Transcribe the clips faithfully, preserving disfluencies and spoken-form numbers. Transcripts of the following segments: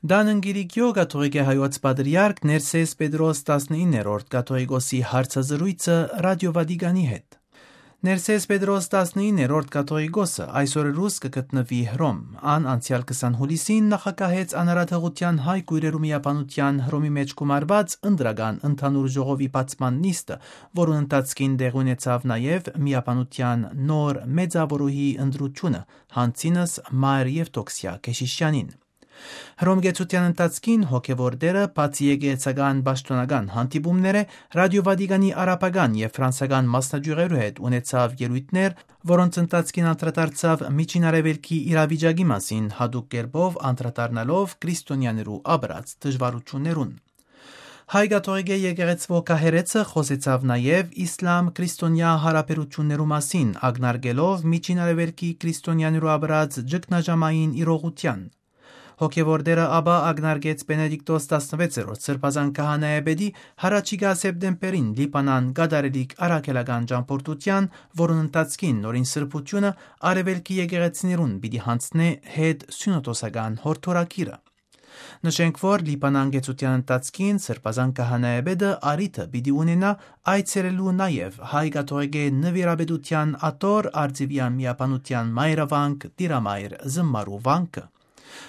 Տան ընկերիկիո կաթողիկէ հայոց պատրիարք Ներսես Պետրոս տասնիններորդ կաթողիկոսի հարցազրոյցը Ռադիո Վատիկանի հետ։ Ներսես Պետրոս տասնիններորդ կաթողիկոսը այսօր ռուս կը գտնուի Հռոմ։ Ան անցեալ քսան հուլիսին նախագահեց անարատողութեան հայ կոյրերու միաբանութեան Հռոմի մէջ գումարուած ընտրական ընդհանուր ժողովի բացման նիստը, որուն ընթացքին տեղի ունեցաւ նաեւ միաբանութեան նոր մեծաւորուհի ընտրութիւնը, յանցինս Մայր Եւդոքսիա Քեշիշյանին։ Հռոմ գեցութեան ընթացքին հոգեւոր դերը, բացի եկեղեցական պաշտօնական հանդիպումներէ, Ռադիո Վատիկանի արաբական եւ ֆրանսական մասնաճիւղերու հետ ունեցաւ ելոյթներ, որոնց ընթացքին անդրադարձաւ Միջին Արեւելքի իրավիճակի մասին, յատուկ կերպով անդրադառնալով քրիստոնեաներու ապրած դժուարութիւններուն։ Հայ կաթողիկէ եկեղեցւոյ քահերէցը խօսեցաւ նաեւ իսլամ-քրիստոնեայ յարաբերութիւններու մասին, ակնարկելով Միջին Արեւելքի քրիստոնեաներու ապրած ճգնաժամային իրողութեան։ Հոգեւոր դերը ապա ակնարկեց Պենեդիկտոս տասնվեցերորդ սրբազան քահանայապետի յառաջիկայ սեպտեմբերին Լիբանան կատարելիք առաքելական ճամբորդութեան, որուն ընթացքին նորին սրբութիւնը արեւելքի եկեղեցիներուն պիտի յանցնէ հետ սիւնոդոսական յորդորագիրը։ Նշենք, որ Լիբանան գեցութեան ընթացքին սրբազան քահանայապետը առիթը պիտի ունենայ այցելելու նաեւ հայ կաթողիկէ նուիրապետութեան աթոռ Արծիվեան միաբանութեան մայրավանք Տիրամայր Զմմարու վանքը։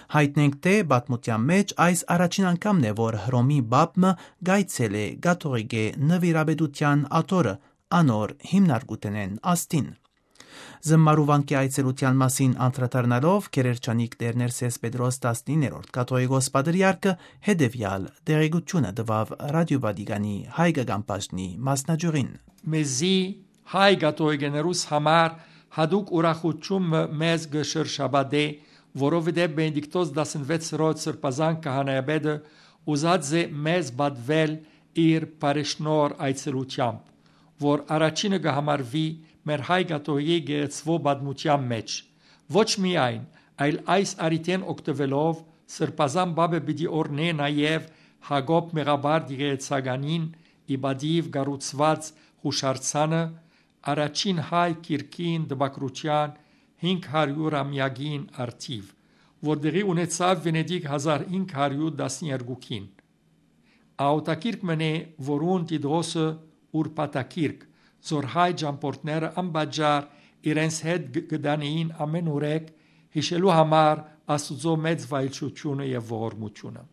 Յայտնենք, թէ պատմութեան մէջ այս առաջին անգամն է, որ Հռոմի պապ մը կայցելէ կաթողիկէ նուիրապետութեան աթոռը անոր հիմնարկութենէն աստին։ Զմմարու վանքի այցելութեան մասին անդրադառնալով, գերերջանիկ Տէր Ներսես Պետրոս տասնիններորդ կաթողիկոս պատրիարքը հետեւեալ տեղեկութիւնը տուաւ Ռադիո Վատիկանի հայկական բաժնի մասնաճիւղին։ Մեզի հայ կաթողիկեներուս համար յատուկ ուրախութիւն մը մեզ կը շրջապատէ, որովհետեւ Պենեդիկտոս տասնվեցերորդ սրբազան քահանայապետը ուզած է մեզ պատուել իր բարեշնորհ այցելութեամբ, որ առաջինը կը համարուի մեր հայ կաթողիկէ գեղեցկոյ պատմութեան մէջ։ Ոչ միայն, այլ այս առիթէն օգտուելով սրբազան պապը պիտի օրհնէ նաեւ Յակոբ Մեղաբար եկեղեցականին ի պատիւ կառուցուած յուշարձանը, առաջին հայ գիրքին տպագրութեան հինգ հարիւր ամեակին առթիւ, որ տեղի ունեցաւ Վենետիկ հազար հինգ հարիւր տասներկուքին։ Աւտագիրք մըն է, որուն տիտղոսը ուրբաթագիրք, զոր հայ ճամբորդները անպատճառ իրենց հետ գ-, կը տանէին ամէն ուրեք, յիշելու համար Աստուծոյ մեծ վայելչութիւնը եւ ողորմութիւնը։